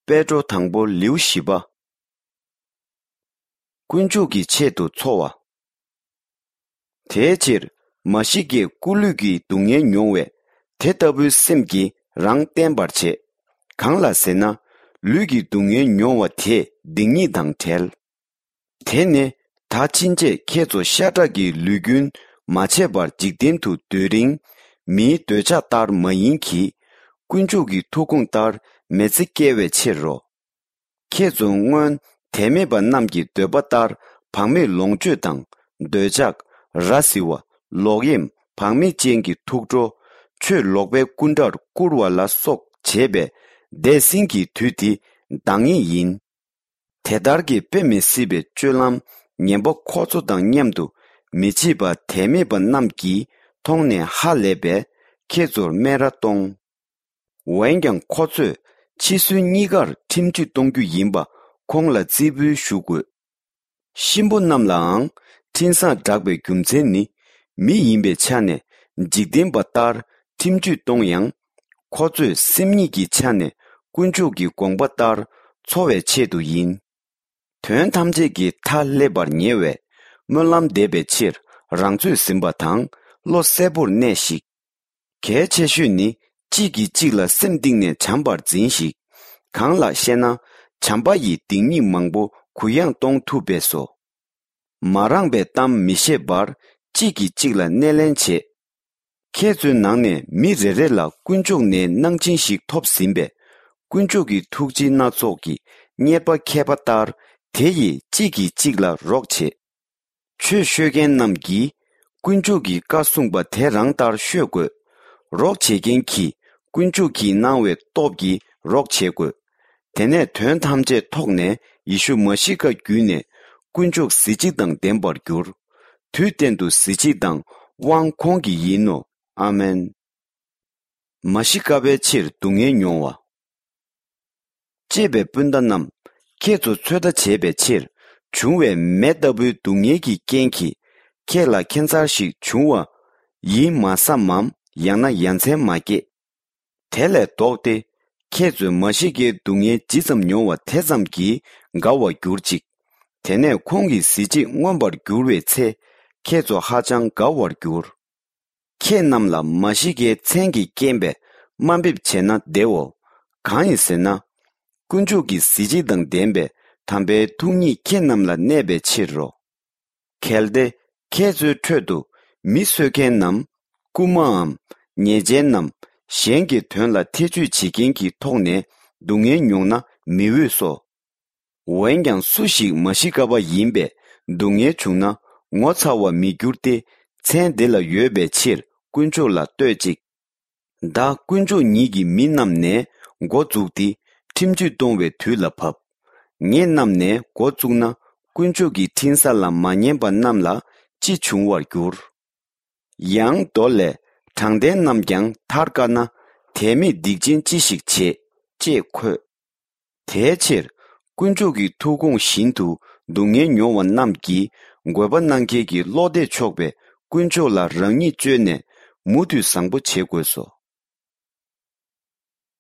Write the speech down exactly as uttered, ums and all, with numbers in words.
པེ་ཏྲོ་དང་པོ་ལེའུ་བཞི་པ། དཀོན་མཆོག་གི་ཆེད་དུ་འཚོ་བ། དེའི་ཕྱིར་མ་ཤི་ཀས་སྐུ་ལུས་ཀྱི་སྡུག་བསྔལ་མྱོང་བས་དེ་ལྟ་བུའི་སེམས་ཀྱིས་རང་བརྟན་པར་བྱེད། གང་ལ་ཟེར་ན། ལུས་ཀྱི་སྡུག་བསྔལ་མྱོང་བ་དེས་སྡིག་ཉེས་དང་བྲལ། དེ་ནི་ད་ཕྱིན་ཆད་ཁྱེད་ཚོ་ཤ་ཁྲག་གི་ལུས་རྒྱུན་མ་ཆད་པར་འཇིག་རྟེན་དུ་སྡོད་རིང་། མིའི་འདོད་ཆགས་ལྟར་མ་ཡིན་གྱི། དཀོན་མཆོག་གི་ཐུགས་དགོངས་ལྟར་མི་ཚེ་བསྐྱལ་བའི་ཕྱིར་རོ། ཁྱེད་ཚོ་སྔོན་དད་མེད་པ་རྣམས་ཀྱི་འདོད་པ་ལྟར་བག་མེད་ལོངས་སྤྱོད་དང་། འདོད་ཆགས། ར་བཟི་བ། ལོག་གཡེམ། བག་མེད་ཅན་གྱི་ཐུགས་སྤྲོ། ཆོས་ལོག་པའི་སྐུ་འདྲར་བཀུར་བ་ལ་སོགས་བྱས་པས་འདས་ཟིན་གྱི་དུས་འདི་འདང་ངེས་ཡིན། དེ་ལྟར་གྱི་དཔེ་མི་སྲིད་པའི་སྤྱོད་ལམ་ངན་པ་ཁོ་ཚོ་དང་མཉམ་དུ་མི་བྱེད་པ་དད་མེད་པ་རྣམས་ཀྱིས་མཐོང་ནས་ཧ་ལས་པས་ཁྱེད་ཚོར་སྨད་ར་གཏོང་། འོན་ཀྱང་ཁོ་ཚོས་འཆི་གསོན་གཉིས་ཀར་ཁྲིམས་གཅོད་གཏོང་རྒྱུ་ཡིན་པ་ཁོང་ལ་རྩིས་འབུལ་ཞུ་དགོས། གཤིན་པོ་རྣམས་ལའང་འཕྲིན་བཟང་བསྒྲགས་པའི་རྒྱུ་མཚན་ནི། མི་ཡིན་པའི་ཆ་ནས་འཇིག་རྟེན་པ་ལྟར་ཁྲིམས་གཅོད་གཏོང་ཡང་། ཁོ་ཚོས་སེམས་ཉིད་ཀྱི་ཆ་ནས་དཀོན་མཆོག་གི་དགོངས་པ་ལྟར་འཚོ་བའི་ཆེད་དུ་ཡིན། དོན་ཐམས་ཅད་ཀྱི་མཐའ་སླེབས་པར་ཉེ་བས། སྨོན་ལམ་འདེབས་པའི་ཕྱིར་རང་ཚོད་ཟིན་པ་དང་བློ་གསལ་པོར་གནས་ཤིག། གལ་ཆེ་ཤོས་ནི་གཅིག་གིས་གཅིག་ལ་སེམས་གཏིང་ནས་བྱམས་པར་འཛིན་ཞིག། གང་ལགས་ཤེ་ན། བྱམས་པ་ཡིས་སྡིག་ཉེས་མང་པོ་གུ་ཡངས་གཏོང་ཐུབ་པས་སོ། མ་རངས་པའི་གཏམ་མི་བཤད་པར་གཅིག་གིས་གཅིག་ལ་སྣེ་ལེན་བྱེད། ཁྱེད་ཚོའི་ནང་ནས་མི་རེ་རེ་ལ་དཀོན་མཆོག་ནས་གནང་སྦྱིན་ཞིག་ཐོབ་ཟིན་པས། དཀོན་མཆོག་གི་ཐུགས་རྗེ་སྣ་ཚོགས་ཀྱི་རྙེད་པ་མཁས་པ་ལྟར་དེ་ཡིས་གཅིག་གིས་གཅིག་ལ་རོགས་བྱེད། ཆོས་ཤོད་མཁན་རྣམས་ཀྱིས་དཀོན་མཆོག་གི་བཀའ་གསུངས་པ་དེ་རང་ལྟར་ཤོད་དགོས། རོགས་བྱེད་མཁན་གྱིས་དཀོན་མཆོག་གིས་གནང་བའི་སྟོབས་ཀྱིས་རོགས་བྱེད་དགོས། དེ་ནས་དོན་ཐམས་ཅད་ཐོགས་ནས་ཡེ་ཤུ་མ་ཤི་ཀ་བརྒྱུད་ནས་དཀོན་མཆོག་གཟི་བརྗིད་དང་ལྡན་པར་འགྱུར། དུས་གཏན་དུ་གཟི་བརྗིད་དང་དབང་ཁོང་གི་ཡིན་ནོ། ཨ་མེན། མ་ཤི་ཀ་པའི་ཕྱིར་སྡུག་བསྔལ་མྱོང་བ། གཅེས་པའི་སྤུན་ཟླ་རྣམས། ཁྱེད་ཚོ་ཚོད་ལྟ་བྱེད་པའི་ཕྱིར་བྱུང་བའི་མེ་ལྟ་བུའི་སྡུག་བསྔལ་གྱི་རྐྱེན་གྱིས་ཁྱེད་ལ་ཁྱད་མཚར་ཞིག་བྱུང་བ་ཡིན་མ་བསམ་མམ། ཡང་ན་ཡ་མཚན་མ་སྐྱེས། དེ་ལས་ལྡོག་སྟེ། ཁྱེད་ཚོས་མ་ཤི་ཀའི་སྡུག་བསྔལ་ཇི་ཙམ་མྱོང་བ་དེ་ཙམ་གྱིས་དགའ་བར་གྱུར་ཅིག། དེ་ནས་ཁོང་གི་གཟི་བརྗིད་མངོན་པར་འགྱུར་བའི་ཚེ། ཁྱེད་ཚོ་ཧ་ཅང་དགའ་བར་འགྱུར། ཁྱེད་རྣམས་ལ་མ་ཤི་ཀའི་མཚན་གྱིས་རྐྱེན་པས་དམའ་འབེབས་བྱས་ན་བདེའོ། གང་ཡིན་ཟེར་ན། དཀོན་མཆོག་གི་གཟི་བརྗིད་དང་ལྡན་པའི་དམ་པའི་ཐུགས་ཉིད་ཁྱེད་རྣམས་ལ་གནས་པའི་ཕྱིར་རོ། གལ་ཏེ་ཁྱེད་ཚོའི་ཁྲོད་དུ་མི་གསོད་མཁན་ནམ། རྐུན་མའམ། ཉེས་ཅན་ནམ། གཞན་གྱི་དོན་ལ་ཐེ་ཇུས་བྱེད་མཁན་གྱི་ཐོག་ནས་སྡུག་བསྔལ་མྱོང་ན་མི་འོས་སོ། འོན་ཀྱང་སུ་ཞིག་མ་ཤི་ཀ་པ་ཡིན་པས་སྡུག་བསྔལ་བྱུང་ན་ངོ་ཚ་བར་མི་འགྱུར་ཏེ། མཚན་འདི་ལ་ཡོད་པའི་ཕྱིར་དཀོན་མཆོག་ལ་བསྟོད་ཅིག། ད་དཀོན་མཆོག་ཉིད་ཀྱི་མི་རྣམས་ནས་འགོ་བཙུགས་ཏེ་ཁྲིམས་གཅོད་གཏོང་བའི་དུས་ལ་བབ། ངེད་རྣམས་ནས་འགོ་བཙུགས་ན་དཀོན་མཆོག་གི་འཕྲིན་བཟང་ལ་མ་ཉན་པ་རྣམས་ལ་ཅི་འབྱུང་བར་འགྱུར། ཡང་མདོ་ལས། དྲང་བདེན་རྣམས་ཀྱང་ཐར་དཀའ་ན། དད་མེད་སྡིག་ཅན་ཅི་ཞིག་བྱེད། ཅེས་འཁོད། དེའི་ཕྱིར་དཀོན་མཆོག་གི་ཐུགས་དགོངས་བཞིན་དུ་སྡུག་བསྔལ་མྱོང་བ་རྣམས་ཀྱིས་འགོད་པ་གནང་མཁན་གྱི་བློ་གཏད་ཆོག་པའི་དཀོན་མཆོག་ལ་རང་ཉིད་བཅོལ་ནས་མུ་མཐུད་བཟང་པོ་བྱེད་དགོས་སོ།